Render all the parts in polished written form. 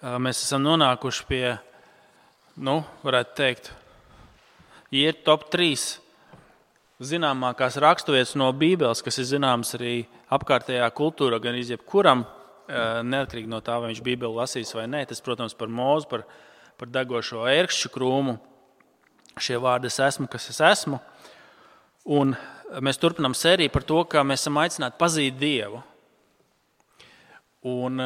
mēs esam nonākuši pie, varētu teikt, ir top 3 zināmākās raksturvietas no Bībeles, kas ir zināmas arī apkārtējā kultūrā, gan jebkuram, neatkarīgi no tā, vai viņš Bībeli lasīs vai nē. Tas, protams, par Mozu, par degošo ērkšķu krūmu. Šie vārdi es esmu, kas es esmu. Un mēs turpinām sēriju par to, kā mēs esam aicināti pazīt Dievu. Un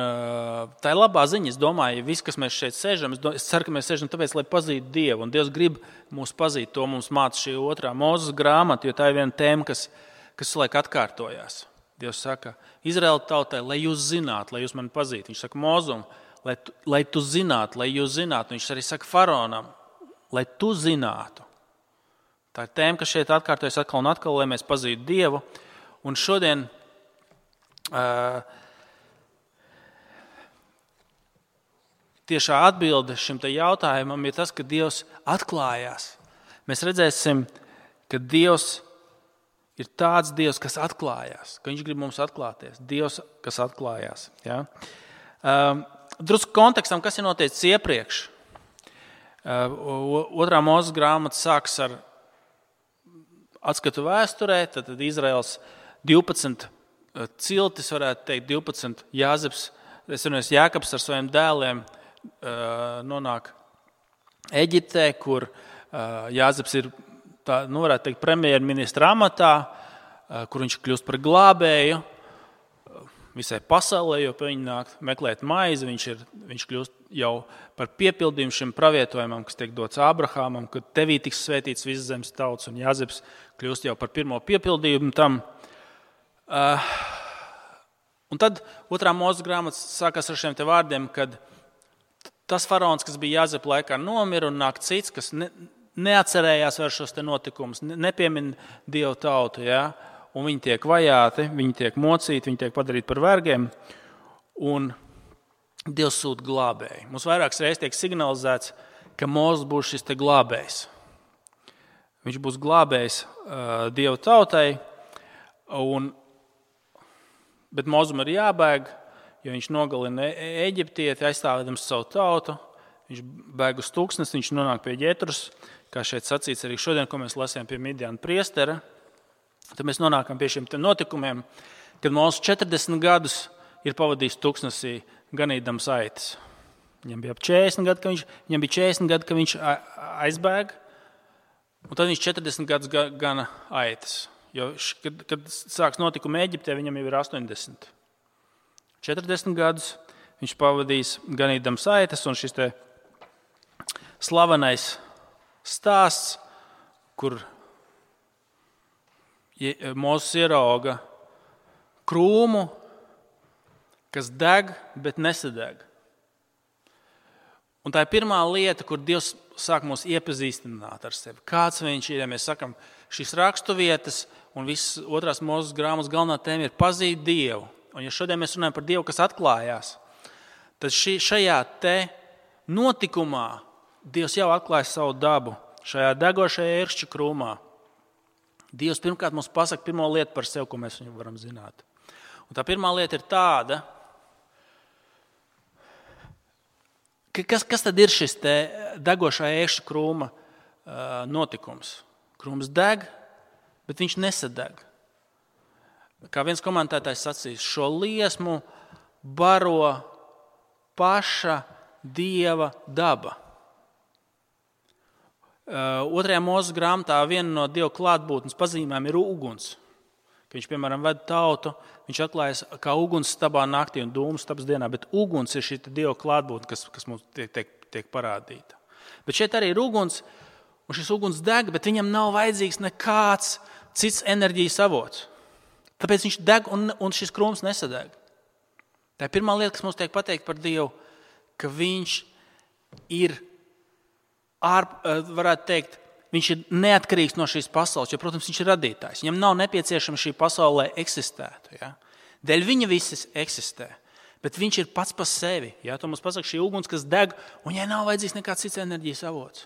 tā ir labā ziņa. Es domāju, viss, kas mēs šeit sēžam, es ceru, ka mēs sēžam tāpēc, lai pazītu Dievu. Un Dievs grib mūs pazīt. To mums māca šī 2. Mūzes grāmata, jo tā ir viena tēma, kas laik atkārtojās. Dievs saka, Izraēla tautai, lai jūs zinātu, lai jūs mani pazītu. Viņš saka Mozum, lai tu zinātu, lai jūs zinātu. Viņš arī saka Faraonam, lai tu zinātu. Tā ir tēma, kas šeit atkārtojas atkal un atkal, lai mēs pazītu Dievu. Un šodien tiešā atbilde šim te jautājumam ir tas, ka Dievs atklājās. Mēs redzēsim, ka Dievs ir tāds Dievs, kas atklājās, ka Viņš grib mums atklāties. Dievs, kas atklājās. Ja? Drusku kontekstam, kas ir noticis iepriekš. 2. Mūzes grāmata sāks ar atskatu vēsturē, tad Izraels 12 ciltis, varētu teikt, 12 Jākabs ar saviem dēliem nonāk Eģiptē, kur Jāzeps ir, varētu teikt, premjerministra amatā, kur viņš kļūst par glābēju visai pasaulē, jo pie viņa nāk meklēt maizi, viņš kļūst jau par piepildījumu šim pravietojumam, kas tiek dots Ābrahamam, kad tevī tiks svētīts visas zemes tautas, un Jāzeps kļūst jau par pirmo piepildījumu tam. Un tad 2. Mūzes grāmata sākās ar šiem te vārdiem, kad tas faraons, kas bija Jāzepa laikā, nomira un nāk cits, kas neatcerējās vairs šos te notikumus, nepiemin Dievu tautu, ja? Un viņi tiek vajāti, viņi tiek mocīti, viņi tiek padarīti par vergiem, un Dievs sūta glābēju. Mums vairākas reizes tiek signalizēts, ka Mozes būs šis te glābējs. Viņš būs glābējs Dievu tautai, bet Mozum ir jābēg, jo viņš nogalina Eģiptieti, aizstāvēdams savu tautu. Viņš bēg uz tūkstnesi, viņš nonāk pie Ģetrus, kā šeit sacīts arī šodien, ko mēs lasījām pie Midjana priestera. Tad mēs nonākam pie šiem notikumiem, kad Mozes 40 gadus ir pavadījis tūkstnesī ganīdams aitas. Viņam bija 40 gadi, ka viņš aizbēg, un tad viņš 40 gadus gana aitas. Jo, kad sāks notikumi Eģiptē, viņam jau ir 80. 40 gadus viņš pavadījis ganīdams aitas, un šis te slavenais stāsts, kur Mozes ierauga krūmu, kas deg, bet nesadeg. Un tā ir pirmā lieta, kur Dievs sāk mūs iepazīstināt ar sevi. Kāds viņš ir, ja mēs sakam, šīs raksturvietas un visas 2. Mūzes grāmatas galvenā tēma ir pazīt Dievu. Un ja šodien mēs runājam par Dievu, kas atklājās, tad šajā te notikumā Dievs jau atklāja savu dabu. Šajā degošajā ērkšķa krūmā Dievs pirmkārt mums pasaka pirmo lietu par sevi, ko mēs viņu varam zināt. Un tā pirmā lieta ir tāda, kas tad ir šis te degošā ērkšķa krūma notikums? Krūms deg, bet viņš nesadeg. Kā viens komentētājs sacīs, šo liesmu baro paša Dieva daba. 2. Mūzes grāmatā viena no Dieva klātbūtnes pazīmēm ir uguns. Kad viņš, piemēram, ved tautu, viņš atklājas kā uguns stabā naktī un dūmu stabas dienā, bet uguns ir šī Dieva klātbūtne, kas mums tiek parādīta. Bet šeit arī ir uguns, un šis uguns deg, bet viņam nav vajadzīgs nekāds cits enerģijas avots. Tāpēc viņš deg un šis krūms nesadeg. Tā ir pirmā lieta, kas mums tiek pateikt par Dievu, ka viņš ir, varētu teikt, viņš ir neatkarīgs no šīs pasaules, jo, protams, viņš ir radītājs. Viņam nav nepieciešama šī pasaule, lai eksistētu. Ja? Dēļ viņa visas eksistē, bet viņš ir pats par sevi. Ja? To mums pasaka šī uguns, kas deg, un viņai nav vajadzīgs nekāds cits enerģijas avots.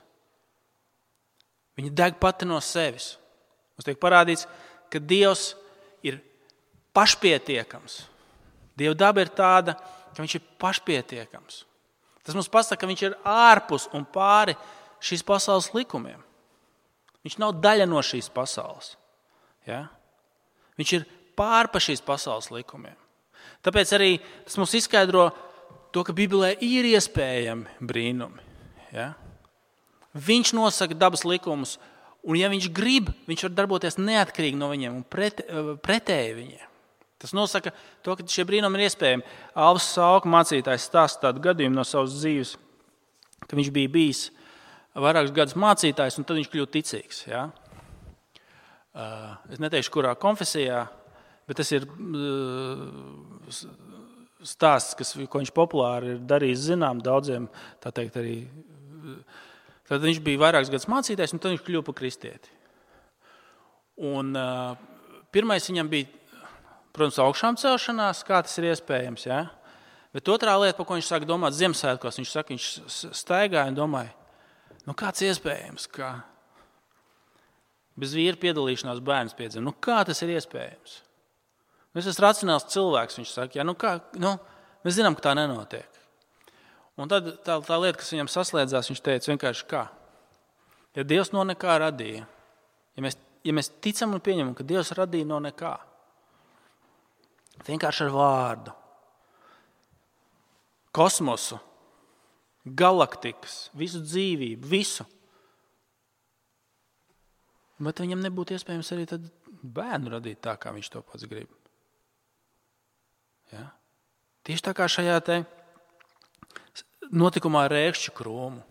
Viņa deg pati no sevis. Mums tiek parādīts, ka Dievs ir pašpietiekams. Dieva daba ir tāda, ka viņš ir pašpietiekams. Tas mums pasaka, ka viņš ir ārpus un pāri šīs pasaules likumiem. Viņš nav daļa no šīs pasaules. Ja? Viņš ir pārpa šīs pasaules likumiem. Tāpēc arī tas mums izskaidro to, ka Bībelē ir iespējami brīnumi. Ja? Viņš nosaka dabas likumus, un ja viņš grib, viņš var darboties neatkarīgi no viņiem un pretēji viņiem. Tas nosaka to, ka šie brīnumi ir iespējami. Alvs Sauka mācītājs stāsta tādu gadījumu no savas dzīves, ka viņš bija bijis vairākus gadus mācītājs, un tad viņš kļūst ticīgs. Ja? Es neteikšu, kurā konfesijā, bet tas ir stāsts, ko viņš populāri ir darījis zinām daudziem, tā teikt arī. Tad viņš bija vairākus gadus mācītājs, un tad viņš kļuva par kristieti. Un pirmais viņam bija, protams, augšām celšanās, kā tas ir iespējams. Ja? Bet otrā lieta, par ko viņš sāka domāt Ziemassvētkos, viņš saka, viņš staigāja un domāja, kāds iespējams, ka bez vīra piedalīšanās bērns piedzima. Kā tas ir iespējams? Es esmu racionāls cilvēks, viņš saka, mēs zinām, ka tā nenotiek. Un tad tā lieta, kas viņam saslēdzās, viņš teica vienkārši kā. Ja Dievs no nekā radīja, ja mēs ticam un pieņemam, ka Dievs radīja no nekā, vienkārši ar vārdu, kosmosu, galaktikas, visu dzīvību, visu. Bet viņam nebūtu iespējams arī tad bērnu radīt tā, kā viņš to pats grib. Ja? Tieši tā kā šajā te notikumā ar ērkšķu krūmu.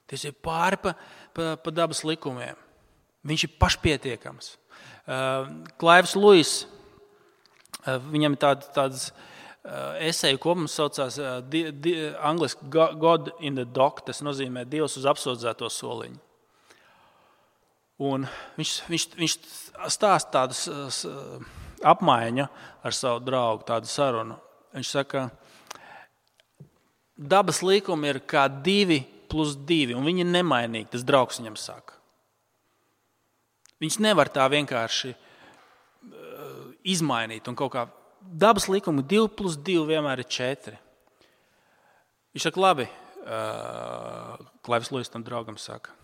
Tas ir pāri pa dabas likumiem. Viņš ir pašpietiekams. Klaivs Luis, viņam tāds eseju kopums saucās angliski God in the dock, tas nozīmē Dievs uz apsūdzēto soliņu. Un viņš stāsta tādas apmaiņa ar savu draugu, tādu sarunu. Viņš saka, dabas likumi ir kā 2 + 2, un viņi ir nemainīgi, tas draugs viņam saka. Viņš nevar tā vienkārši izmainīt un kaut kā. Dabas likumi 2 + 2 vienmēr ir 4. Viņš saka, labi, Klaivs Luis tam draugam saka.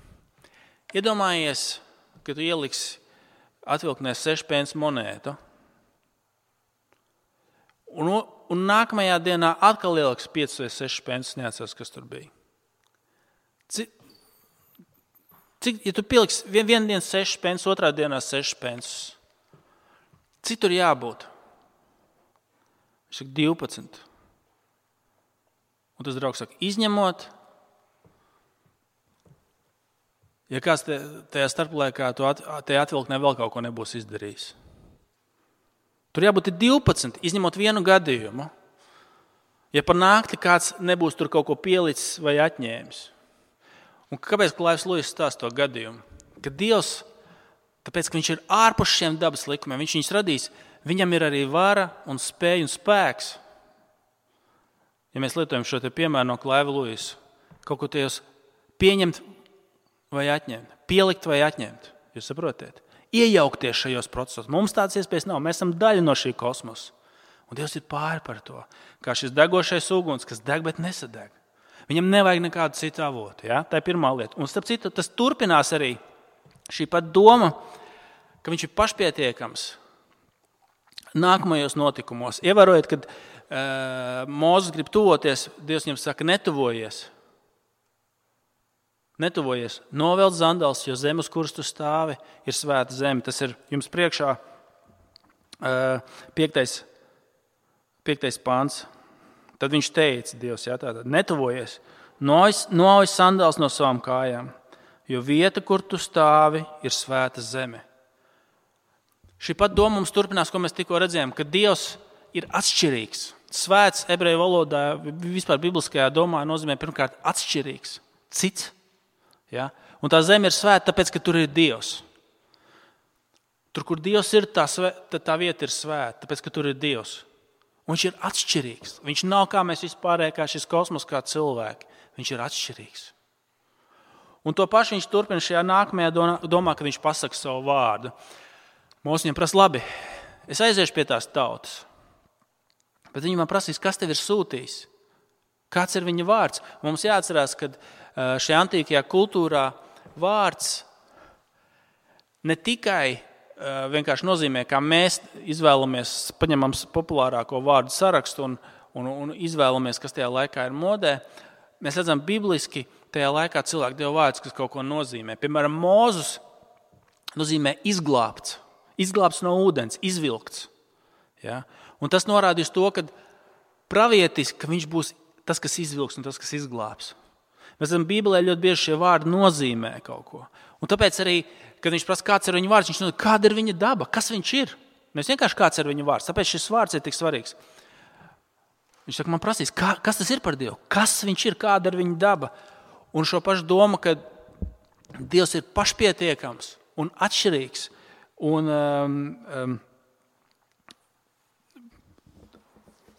Iedomājies, ka tu ieliksi atvilknē 6 pence monētu, un nākamajā dienā atkal ieliks 5 vai 6 pences, neatceros, kas tur bija. Ja tu pieliksi vienu dienu 6 pences, otrā dienā 6 pences, cik tur jābūt? Viņš saka 12. Un tas draugs saka, izņemot, ja kāds tajā starplaikā tajā atvilknē vēl kaut ko nebūs izdarījis. Tur jābūt 12, izņemot vienu gadījumu. Ja par naktī kāds nebūs tur kaut ko pielicis vai atņēmis. Un kāpēc Klaivs Luis stāsta to gadījumu? Ka Dievs, tāpēc, ka viņš ir ārpus šiem dabas likumiem, viņš viņus radīs, viņam ir arī vara un spēja un spēks. Ja mēs lietojam šo te piemēru no Klaiva Luisa, kaut ko tajos pieņemt vai atņemt, pielikt vai atņemt, jūs saprotiet? Iejaukties šajos procesos. Mums tādas iespējas nav, mēs esam daļa no šī kosmosa. Un Dievs ir pāri par to, kā šis degošais uguns, kas deg, bet nesadeg. Viņam nevajag nekādu citu avotu. Ja? Tā ir pirmā lieta. Un starp citu, tas turpinās arī šī pat doma, ka viņš ir pašpietiekams nākamajos notikumos. Ievērojiet, kad Mūzes grib tuvoties, Dievs viņam saka, netuvojies. Netuvojies, novelc zandals, jo zem, uz kuras tu stāvi, ir svēta zeme. Tas ir jums priekšā 5. pāns. Tad viņš teica, Dievs, tātad, netuvojies, noauj sandals no savām kājām, jo vieta, kur tu stāvi, ir svēta zeme. Šī pat doma mums turpinās, ko mēs tikko redzējām, ka Dievs ir atšķirīgs. Svēts ebreju valodā, vispār bibliskajā domā nozīmē pirmkārt atšķirīgs, cits. Ja? Un tā zeme ir svēta, tāpēc, ka tur ir Dievs. Tur, kur Dievs ir, tā vieta ir svēta, tāpēc, ka tur ir Dievs. Un viņš ir atšķirīgs. Viņš nav kā mēs vispārēji, kā šis kosmos, kā cilvēki. Viņš ir atšķirīgs. Un to pašu viņš turpina šajā nākamajā domā, kad viņš pasaka savu vārdu. Mūsu viņam prasa, labi, es aiziešu pie tās tautas. Bet viņi man prasīs, kas tev ir sūtījis? Kāds ir viņa vārds? Mums jāatcerās, ka šajā antīkajā kultūrā vārds ne tikai vienkārši nozīmē, kā mēs izvēlamies, paņemam populārāko vārdu sarakstu un izvēlamies, kas tajā laikā ir modē. Mēs redzam, bibliski tajā laikā cilvēki deva vārdus, kas kaut ko nozīmē. Piemēram, Mūzus nozīmē izglābts. Izglābts no ūdens, izvilkts. Ja? Un tas norādīs to, ka pravietiski, ka viņš būs tas, kas izvilks un tas, kas izglābs. Mēs redzam, Bībelē ļoti bieži šie vārdi nozīmē kaut ko. Un tāpēc arī, kad viņš prasa, kāds ir viņa vārds, viņš nozīmē, kāda ir viņa daba, kas viņš ir. Nevis vienkārši kāds ir viņa vārds, tāpēc šis vārds ir tik svarīgs. Viņš saka, man prasīs, kas tas ir par Dievu, kas viņš ir, kāda ir viņa daba. Un šo pašu domu, ka Dievs ir pašpietiekams un atšķirīgs. Un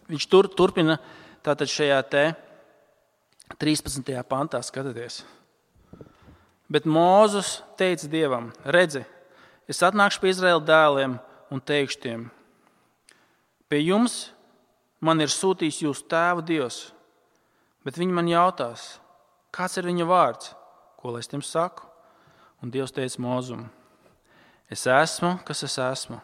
viņš turpina tātad šajā 13. pantā, skatieties. Bet Mūzus teica Dievam, redzi, es atnākšu pie Izraēla dēliem un teikšu tiem, pie jums man ir sūtījis jūsu tēva Dievs, bet viņi man jautās, kāds ir viņa vārds, ko lai es tiem saku? Un Dievs teica Mūzum, es esmu, kas es esmu.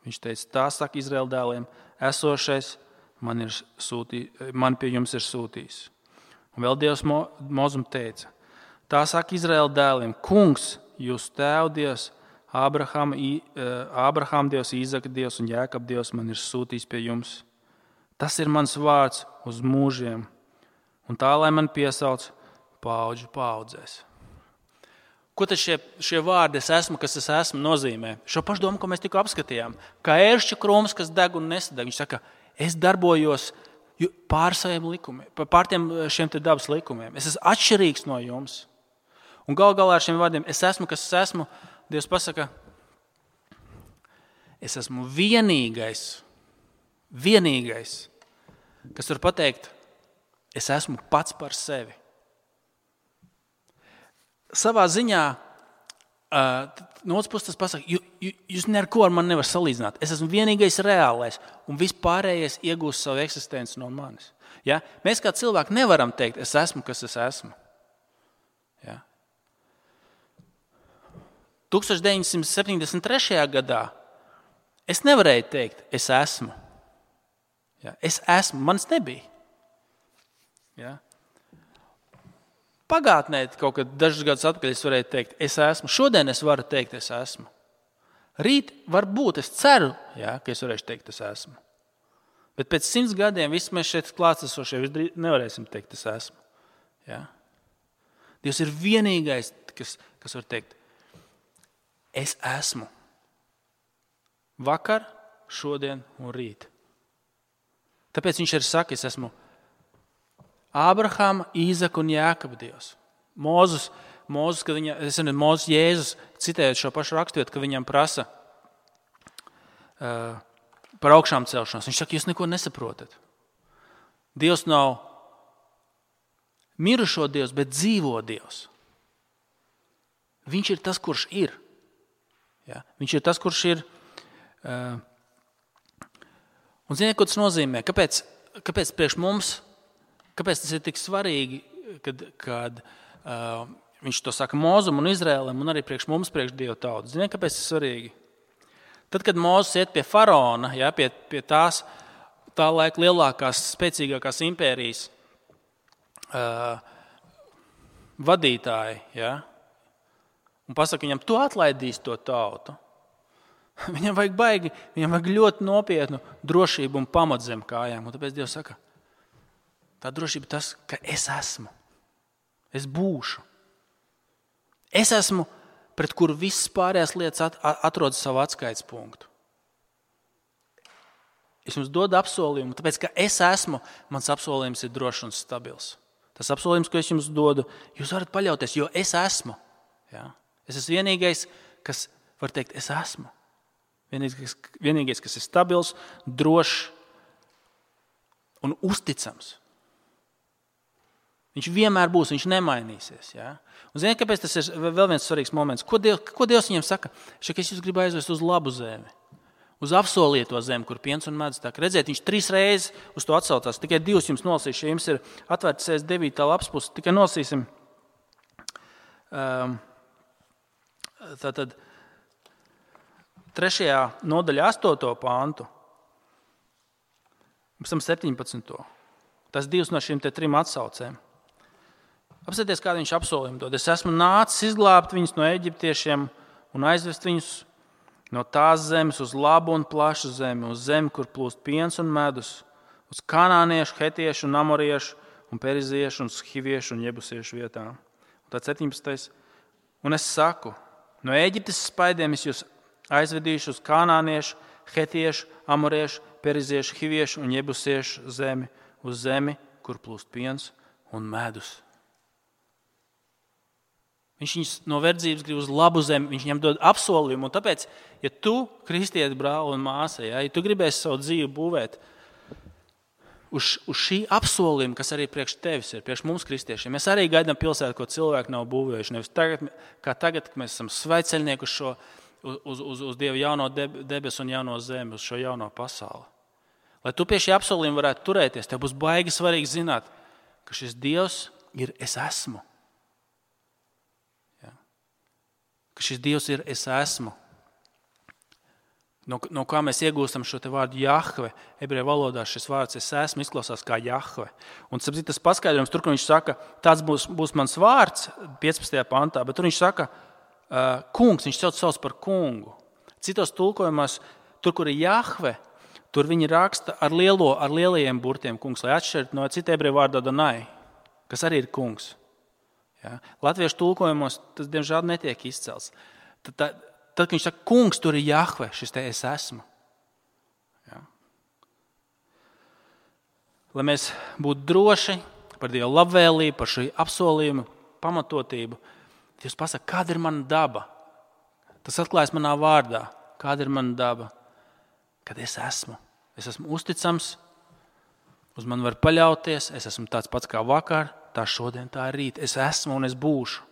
Viņš teica, tā saka Izraēla dēliem, esošais man pie jums ir sūtījis. Un vēl Dievs Mūzum teica, tā saka Izraēla dēliem, kungs, jūsu tēva Dievs, Ābrahama Dievs, Īzaka Dievs un Jēkaba Dievs man ir sūtījis pie jums. Tas ir mans vārds uz mūžiem, un tā, lai man piesauc paudžu paudzēs. Ko tad šie vārdi es esmu, kas es esmu, nozīmē? Šo pašu domu, ko mēs tikko apskatījām. Kā ēršķa krūms, kas deg un nesadeg. Viņš saka, es darbojos pār saviem likumiem, pār šiem te dabas likumiem. Es esmu atšķirīgs no jums. Un gal galā ar šiem vārdiem, es esmu, kas es esmu, Dievs pasaka, es esmu vienīgais, kas var pateikt, es esmu pats par sevi. Savā ziņā, no otras puses tas pasaka, jūs neko ar mani nevar salīdzināt. Es esmu vienīgais reālais, un vispārējais iegūst savu eksistenci no manis. Ja? Mēs kā cilvēki nevaram teikt, es esmu, kas es esmu. Ja? 1973. gadā es nevarēju teikt, es esmu. Ja? Es esmu, manis nebija. Ja? Pagātnē, kaut kad dažus gadus atpakaļ es varēju teikt, es esmu. Šodien es varu teikt, es esmu. Rīt varbūt, es ceru, ja, ka es varēšu teikt, es esmu. Bet pēc 100 gadiem visi mēs šeit klātesošie nevarēsim teikt, es esmu. Ja? Dievs ir vienīgais, kas var teikt, es esmu. Vakar, šodien un rīt. Tāpēc viņš arī saka, es esmu Ābrahama, Īzaka un Jēkaba Dievs. Mūzus, kad Mūzus Jēzus, citējot šo pašu raksturvietu, ka viņam prasa par augšām celšanos. Viņš saka, jūs neko nesaprotat. Dievs nav mirušo Dievs, bet dzīvo Dievs. Viņš ir tas, kurš ir. Ja? Viņš ir tas, kurš ir. Un ziniet, ko tas nozīmē? Kāpēc priekš mums? Kāpēc tas ir tik svarīgi, kad viņš to saka Mūzum un Izraēlam un arī priekš mums, priekš Dieva tautas? Ziniet, kāpēc tas ir svarīgi? Tad, kad Mūzes iet pie faraona, ja, pie tā laika lielākās, spēcīgākās impērijas vadītāji, ja, un pasaka viņam, tu atlaidīsi to tautu. Viņam vajag ļoti nopietnu drošību un pamatu zem kājām. Un tāpēc Dievs saka, tā drošība tas, ka es esmu. Es būšu. Es esmu, pret kuru visas pārējās lietas atrodas savu atskaites punktu. Es jums dodu apsolījumu, tāpēc, ka es esmu, mans apsolījums ir drošs un stabils. Tas apsolījums, ko es jums dodu, jūs varat paļauties, jo es esmu. Ja? Es esmu vienīgais, kas var teikt, es esmu. Vienīgais, kas ir stabils, drošs un uzticams. Viņš vienmēr būs, viņš nemainīsies. Ja? Un ziniet, kāpēc tas ir vēl viens svarīgs moments? Ko Dievs viņam saka? Viņš saka, es jūs gribu aizvest uz labu zemi. uz apsolīto zemi, kur piens un medus tek. Redziet, viņš 3 reizes uz to atsaucās. Tikai 2 jums nolasīšu, ja jums ir atvērts 9. lapas pusi, tikai nolasīsim. Tātad 3. nodaļā 8. pāntu, pēc tam 17. Tas 2 no šīm 3 atsaucēm. Apsieties, kādu viņš apsolījumu dod. Es esmu nācis izglābt viņus no eģiptiešiem un aizvest viņus no tās zemes uz labu un plašu zemi, uz zemi, kur plūst piens un medus, uz kanāniešu, hetiešu un amoriešu un periziešu un hiviešu un jebusiešu vietām. Un tad 17. Un es saku, no Eģiptes spaidiem es jūs aizvedīšu uz kanāniešu, hetiešu, amoriešu, periziešu, hiviešu un jebusiešu zemi, uz zemi, kur plūst piens un medus. Viņš viņus no verdzības grib uz labu zemi, viņš viņam dod apsolījumu. Un tāpēc, ja tu, kristieti brāli un māsa, ja tu gribēsi savu dzīvi būvēt uz šī apsolījuma, kas arī priekš tevis ir, priekš mums kristiešiem, mēs arī gaidām pilsētu, ko cilvēki nav būvējuši. Nevis tagad, kad mēs esam sveceļnieki uz Dieva jauno debesu un jauno zemi, uz šo jauno pasauli. Lai tu pie šī apsolījuma varētu turēties, tev būs baigi svarīgi zināt, ka šis Dievs ir es esmu. Ka šis Dievs ir es esmu. No kā mēs iegūstam šo te vārdu Jahve, ebreju valodā šis vārds es esmu izklausās kā Jahve. Un tas paskaidrojums tur, kur viņš saka, tāds būs mans vārds 15. pantā, bet tur viņš saka kungs, viņš sauc par kungu. Citos tulkojumos, tur, kur ir Jahve, tur viņi raksta ar lielajiem burtiem kungs, lai atšķirtu no cita ebreju vārda Adonai, kas arī ir kungs. Ja? Latviešu tulkojumos tas, diemžēl, netiek izcelts. Tad, kad viņš saka, kungs, tur ir Jahve, šis te es esmu. Ja? Lai mēs būtu droši par Dieva labvēlību, par šī apsolījumu pamatotību, Dievs pasaka, kāda ir mana daba. Tas atklājas manā vārdā. Kāda ir mana daba? Kad es esmu. Es esmu uzticams, uz mani var paļauties, es esmu tāds pats kā vakar, tā šodien, tā rīt. Es esmu un es būšu.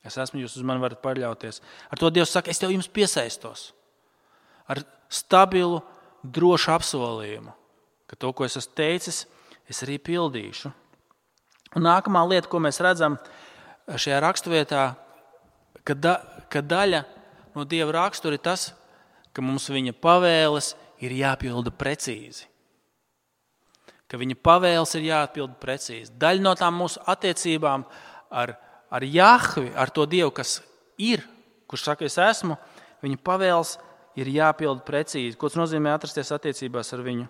Es esmu, jūs uz mani varat paļauties. Ar to Dievs saka, es tev jums piesaistos. Ar stabilu, drošu apsolījumu, ka to, ko es esmu teicis, es arī pildīšu. Un nākamā lieta, ko mēs redzam šajā raksturvietā, ka daļa no Dieva rakstura ir tas, ka mums viņa pavēles ir jāpilda precīzi. Ka viņa pavēles ir jāatpilda precīzi. Daļa no tām mūsu attiecībām ar Jahvi, ar to Dievu, kas ir, kurš saka, es esmu, viņa pavēles ir jāpilda precīzi. Ko tas nozīmē atrasties attiecībās ar viņu?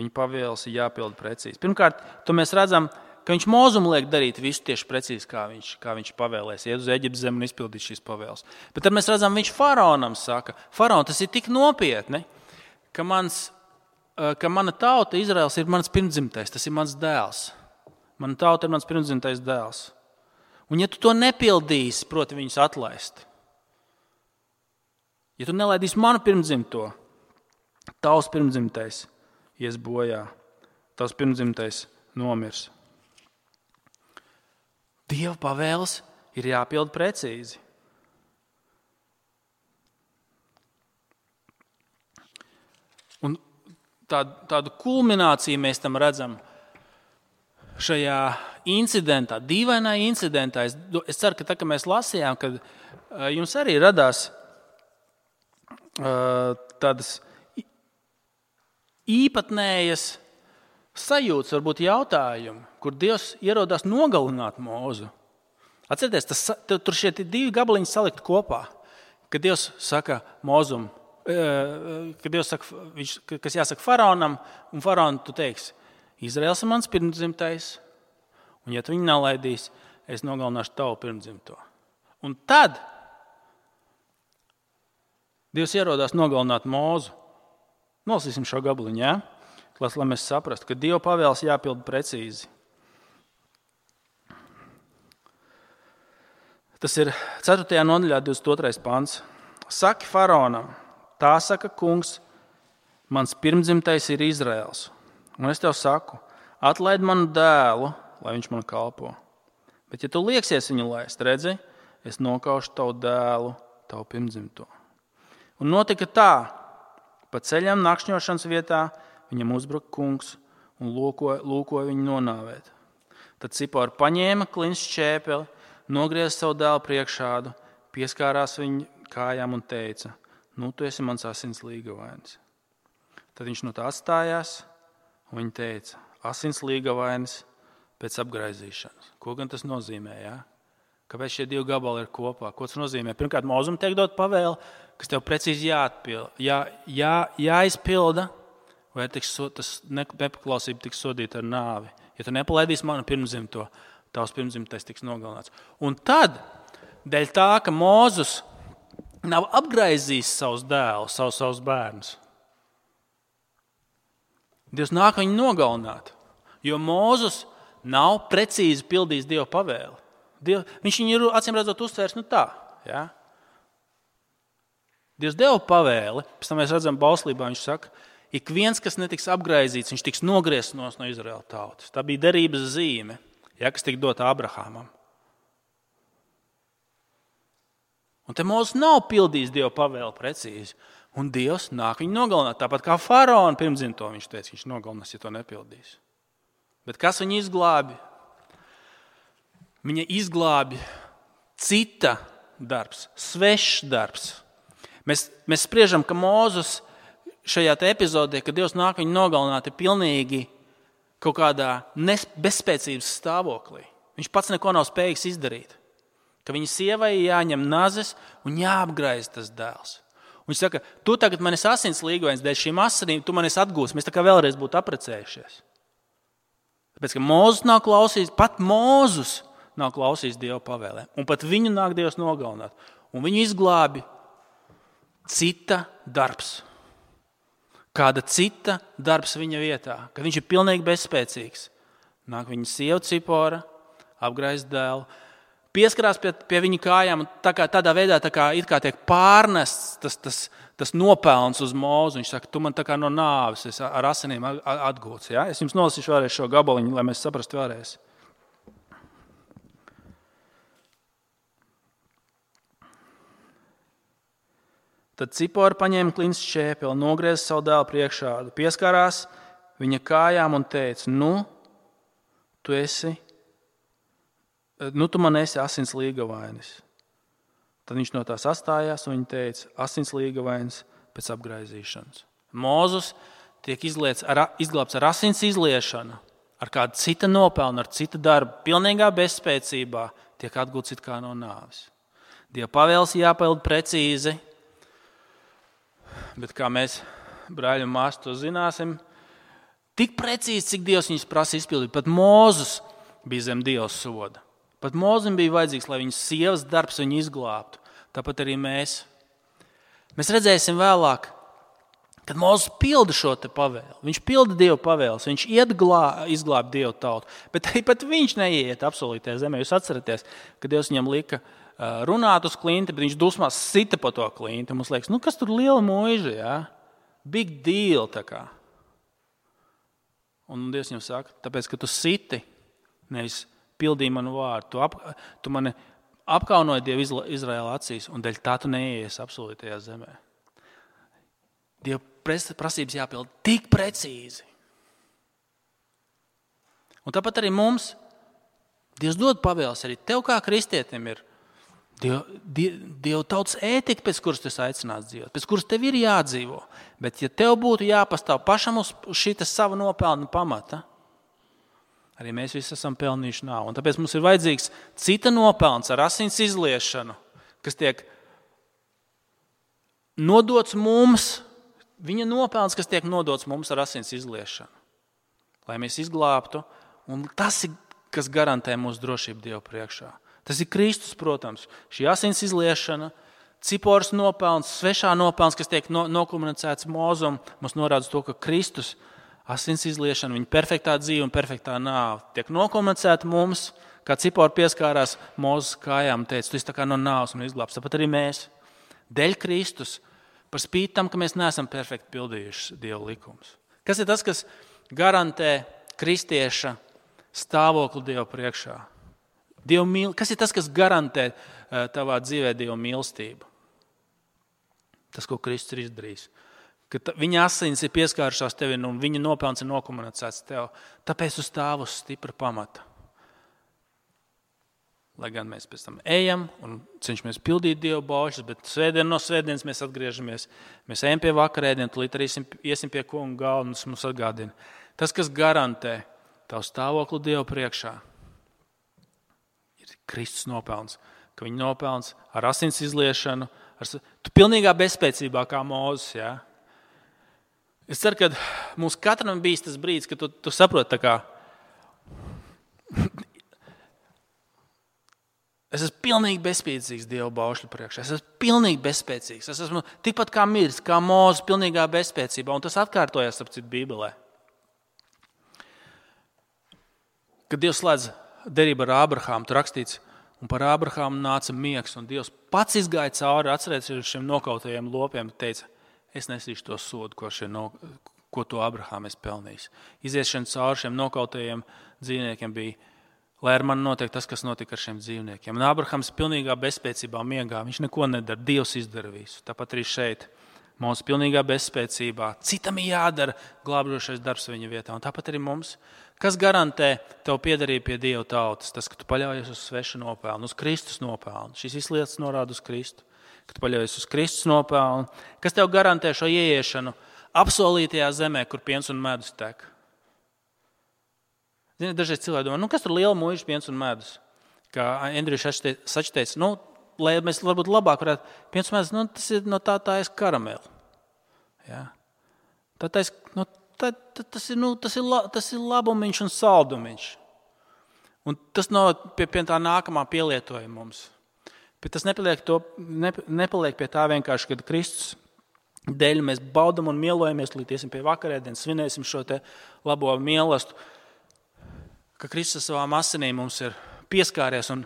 Viņa pavēles ir jāpilda precīzi. Pirmkārt, to mēs redzam, ka viņš Mozum liek darīt visu tieši precīzi, kā viņš pavēlēs, iet uz Eģiptes zemi un izpildīt šīs pavēles. Bet tad mēs redzam, viņš faraonam saka, faraon, tas ir tik nopietni, ka mana tauta, Izraels, ir mans pirmdzimtais, tas ir mans dēls. Mana tauta ir mans pirmdzimtais dēls. Un ja tu to nepildīsi, proti viņus atlaist, ja tu nelaidīsi manu pirmdzimto, tavs pirmdzimtais ies bojā, tavs pirmdzimtais nomirs. Dieva pavēles ir jāpilda precīzi. Un tādu kulmināciju mēs tam redzam šajā incidentā, dīvainā incidentā. Es ceru, ka tā, kad mēs lasījām, kad jums arī radās tādas īpatnējas sajūtas, varbūt jautājumi, kur Dievs ierodās nogalināt Mozu. Atcerieties, tur šie 2 gabaliņi salikt kopā, kad Dievs saka Mozum, kad Dievs saka, kas jāsaka faraonam, un faraonu tu teiksi, Izraels ir mans pirmdzimtais, un ja tu viņu nelaidīs, es nogalināšu tavu pirmdzimto. Un tad Dievs ierodās nogalināt Mozu. Nolasīsim šo gabaliņu, jā? Lai mēs saprastu, ka Dieva pavēles jāpilda precīzi. Tas ir 4. nodaļā 22. pants. Saki faraonam, tā saka kungs, mans pirmdzimtais ir Izraels. Un es tev saku, atlaid manu dēlu, lai viņš man kalpo. Bet ja tu lieksies viņu laist, redzi, es nokaušu tavu dēlu, tavu pirmdzimto. Un notika tā, Pa ceļam nakšņošanas vietā viņam uzbruka kungs un lūkoja viņu nonāvēt. Tad Cipora paņēma klints šķēpeli, nogrieza savu dēlu priekšādu, pieskārās viņa kājām un teica: Nu, tu esi mans asins līgavainis. Tad viņš no tā atstājās, un viņa teica: Asins līgavainis pēc apgraizīšanas. Ko gan tas nozīmē? Ja? Kāpēc šie divi gabali ir kopā? Ko tas nozīmē? Pirmkārt, Mozum tiek dot pavēle, kas tev precīzi jāizpilda, vai tas nepaklausība tiks sodīta ar nāvi. Ja tu nepalaidīsi manu pirmzimto, tavs pirmzimtais tiks nogalināts. Un tad, dēļ tā, ka Mozus nav apgraizījis savus dēlus, savus bērnus, Dievs nāk viņu nogalināt, jo Mozus nav precīzi pildījis Dieva pavēli. Viņš viņu ir acīm redzot uztvērs tā. Ja? Dievs deva pavēli, pēc tam mēs redzam bauslībā, viņš saka, ik viens, kas netiks apgraizīts, viņš tiks nogriezts no Izraēla tautas. Tā bija derības zīme, ja, kas tika dota Abrahamam. Un te Mozus nav pildījis Dieva pavēli precīzi, un Dievs nāk viņu nogalināt. Tāpat kā faraona pirmzimto viņš teica, viņš nogalinās, ja to nepildīs. Bet kas viņu izglābi? Viņa izglābi cita darbs, svešs darbs. Mēs spriežam, ka Mozus šajā epizodē, kad Dievs nāk viņu nogalināt, ir pilnīgi kaut kādā bezspēcības stāvoklī. Viņš pats neko nav spējīgs izdarīt. Ka viņa sievai jāņem nazes un jāapgraiz tas dēls. Un viņš saka, tu tagad man esi asins līgavainis, dēļ šīm asinīm tu man esi atgūs. Mēs tā kā vēlreiz būtu aprecējušies. Tāpēc, ka Mozus nav klausījis, pat Mozus nav klausījis Dieva pavēlēm. Un pat viņu nāk Dievs nogalināt. Un viņu izglābi cita darbs. Kāda cita darbs viņa vietā. Kad viņš ir pilnīgi bezspēcīgs. Nāk viņa sieva Cipora, apgraiz dēlu, pieskarās pie viņa kājām un tādā veidā it kā tiek pārnests tas nopelns uz Mozu. Viņš saka, tu man tā kā no nāves esi ar asinīm atgūts. Ja? Es jums nolasīšu vēlreiz šo gabaliņu, lai mēs saprastu vēlreiz. Tad Cipora paņēma klints šķēpeli, nogrieza savu dēlu priekšādu, pieskārās viņa kājām un teica, tu man esi asins līgavainis. Tad viņš no tās atstājās un viņa teica, asins līgavainis pēc apgraizīšanas. Mozus tiek izglābts ar asins izliešanu, ar kādu cita nopelnu, ar cita darbu, pilnīgā bezspēcībā tiek atgūts it kā no nāves. Dieva pavēles jāpilda precīzi, bet kā mēs, brāļi un māsas, to zināsim, tik precīzi, cik Dievs viņus prasa izpildīt. Pat Mozus bija zem Dieva soda. Pat Mozum bija vajadzīgs, lai viņas sievas darbs viņu izglābtu. Tāpat arī mēs. Mēs redzēsim vēlāk, kad Mozus pilda šo te pavēli. Viņš pilda Dieva pavēles, viņš izglāb Dievu tautu. Bet arī pat viņš neiet apsolītajā zemē. Jūs atceraties, ka Dievs viņam lika runāt uz klinti, bet viņš dusmās sita pa to klinti. Mums liekas, kas tur liela muiža, ja? Big deal tā kā. Un Dievs viņam saka, tāpēc, ka tu siti, nevis pildīji manu vārdu. Tu mani apkaunoji Dievu Izraēla acīs, un dēļ tā tu neies apsolītajā zemē. Dieva prasības jāpild tik precīzi. Un tāpat arī mums Dievs dod pavēles, arī tev kā kristietim ir Dieva tautas ētika, pēc kuras tu esi aicināts dzīvot, pēc kuras tev ir jādzīvo. Bet ja tev būtu jāpastāv pašam uz šīta sava nopelna pamata, arī mēs visi esam pelnījuši nāvi. Un tāpēc mums ir vajadzīgs cita nopelns ar asins izliešanu, kas tiek nodots mums, viņa nopelns, kas tiek nodots mums ar asins izliešanu. Lai mēs izglābtu, un tas ir, kas garantē mūsu drošību Dievu priekšā. Tas ir Kristus, protams. Šī asins izliešana, Ciporas nopelns, svešā nopelns, kas tiek nokomunicēts Mozum, mums norāda to, ka Kristus asins izliešana, viņa perfektā dzīve un perfektā nāve tiek nokomunicēta mums, kā Cipora pieskārās Mozes kājām un teica, tu esi tā kā no nāves un izglābs. Tāpat arī mēs, dēļ Kristus, par spīti tam, ka mēs neesam perfekti pildījuši Dieva likumus. Kas ir tas, kas garantē kristieša stāvokli Dieva priekšā? Kas ir tas, kas garantē tavā dzīvē Dieva mīlestību? Tas, ko Kristus ir izdarījis. ka viņa asins ir pieskārušās tevi un viņa nopelns ir nokomunicēts tev. Tāpēc tu stāv uz stipra pamata. Lai gan mēs pēc tam ejam un cenšamies pildīt Dieva baušļus, bet svētdien no svētdienas mēs atgriežamies. Mēs ejam pie vakarēdienu, tūlīt arī iesim pie kunga galva un tas mums atgādina. Tas, kas garantē tavu stāvokli Dievu priekšā, ir Kristus nopelns. Ka viņa nopelns ar asins izliešanu, tu pilnīgā bezspēcībā kā Mūzes, jā. Es ceru, ka mums katram bijis tas brīdis, ka tu saproti tā kā es esmu pilnīgi bezspēcīgs Dieva baušļu priekšā. Es esmu pilnīgi bezspēcīgs. Es esmu tikpat kā miris, kā Mūzes pilnīgā bezspēcībā. Un tas atkārtojas ap citu Bībelē. Kad Dievs slēdz derību ar Ābrahāmu, tur rakstīts, un par Ābrahāmu nāca miegs, un Dievs pats izgāja cauri, atcerēties šiem nokautajiem lopiem, teica, es nesīšu to sodu, ko to Ābrahāmu es pelnījis. Iziešana cauri šiem nokautajiem dzīvniekiem bija, lai ar mani notiek tas, kas notika ar šiem dzīvniekiem. Un Ābrahams pilnīgā bezspēcībā miegā, viņš neko nedara, Dievs izdara visu. Tāpat arī šeit, mums pilnīgā bezspēcībā, citam jādara glābjošais darbs viņa vietā. Un tāpat arī mums, kas garantē tev piederību pie Dieva tautas, tas, ka tu paļaujies uz svešu nopelnu, uz Kristus nopelnu. Šīs visas lietas norāda uz Kristu, ka tu paļaujies uz Kristus nopelnu, kas tev garantē šo ieiešanu apsolītajā zemē, kur piens un medus tek. Ziniet, dažreiz cilvēki domā, kas tur liela muiža, piens un medus? Kā Andriju Sačs teica, lai mēs varbūt labāk varētu, piens un medus, tas ir no tā ir karameli. Ja? Tas ir labumiņš un saldumiņš. Un tas nav pie tā nākamā pielietojuma mums. Bet tas nepaliek pie tā vienkārši, kad Kristus dēļ mēs baudam un mielojamies, līdz iesim pie vakarēdienas, svinēsim šo te labo mielastu, ka Kristus savām asinīm mums ir pieskāries un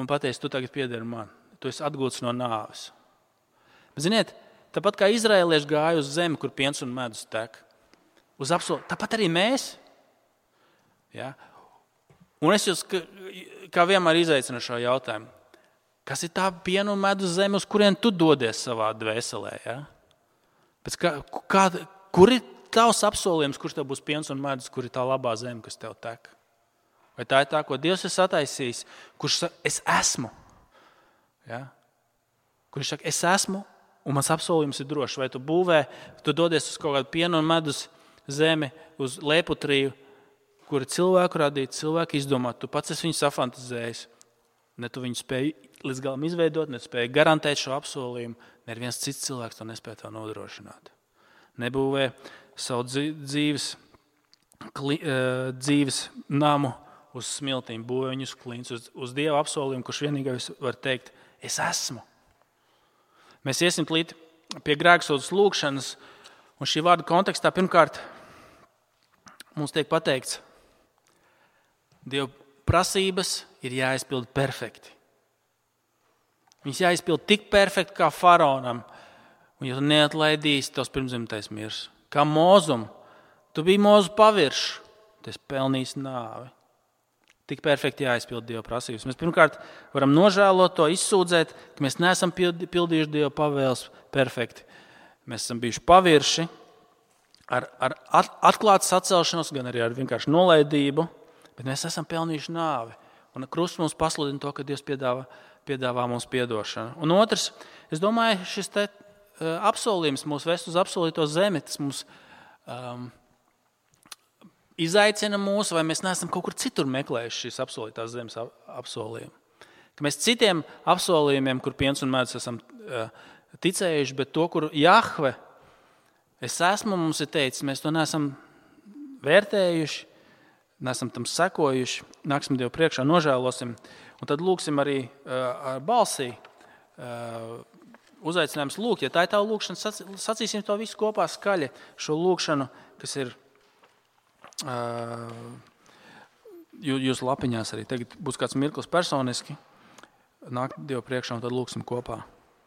pateicis, tu tagad piederi man. Tu esi atgūts no nāves. Bet, ziniet, tāpat kā izraēlieši gāja uz zemi, kur piens un medus tek, tāpat arī mēs. Ja? Un es jūs kā vienmēr izaicinu šo jautājumu. Kas ir tā piena un medus zeme, uz kurien tu dodies savā dvēselē? Ja? Kur ir tavs apsolījums, kurš tev būs piens un medus, kur ir tā labā zeme, kas tev tek? Vai tā ir tā, ko Dievs ir sataisījis, kurš saka, es esmu? Ja? Kurš saka, es esmu, un mans apsolījums ir drošs. Vai tu dodies uz kaut kādu pienu un medus zemi, uz Lēputriju, kur ir cilvēku radīta, cilvēku izdomāt. Tu pats esi viņu safantazējis. Ne tu viņu spēji līdz galam izveidot, ne tu spēji garantēt šo apsolījumu. Neviens cits cilvēks to nespēja tev nodrošināt. Nebūvē savu dzīves namu uz smiltīm, būvē viņus klīns, uz Dieva apsolījumu, kurš vienīgais var teikt, es esmu. Mēs iesim pie grēksūdzes lūgšanas, un šī vārda kontekstā pirmkārt mums tiek pateikts, Dieva prasības ir jāizpild perfekti. Viņas jāizpild tik perfekti kā faraonam, un ja tu neatlaidīsi, tos pirmzimtais mirs. Kā Mūzum, tu biji Mūzu pavirš, tu esi pelnījis nāvi. Tik perfekti jāizpild Dieva prasības. Mēs pirmkārt varam nožēlot to, izsūdzēt, ka mēs neesam pildījuši Dieva pavēles perfekti. Mēs esam bijuši pavirši ar atklātu sacelšanos, gan arī ar vienkārši nolaidību, bet mēs esam pelnījuši nāvi. Un krusts mums pasludina to, ka Dievs piedāvā mums piedošanu. Un otrs, es domāju, šis te apsolījums mūs vest uz apsolīto zemi, tas mums izaicina mūs, vai mēs neesam kaut kur citur meklējuši šīs apsolītās zemes apsolījumu. Ka mēs citiem apsolījumiem, kur piens un medus esam ticējuši, bet to, kur Jahve, es esmu, mums ir teicis, mēs to neesam vērtējuši, neesam tam sekojuši, nāksim Dievu priekšā, nožēlosim, un tad lūksim arī ar balsī, uzaicinājums lūgt. Ja tā ir tā lūkšana, sacīsim to visu kopā skaļi, šo lūkšanu, kas ir jūsu lapiņās arī. Tagad būs kāds mirklis personiski, nāk Dievu priekšā un tad lūksim kopā.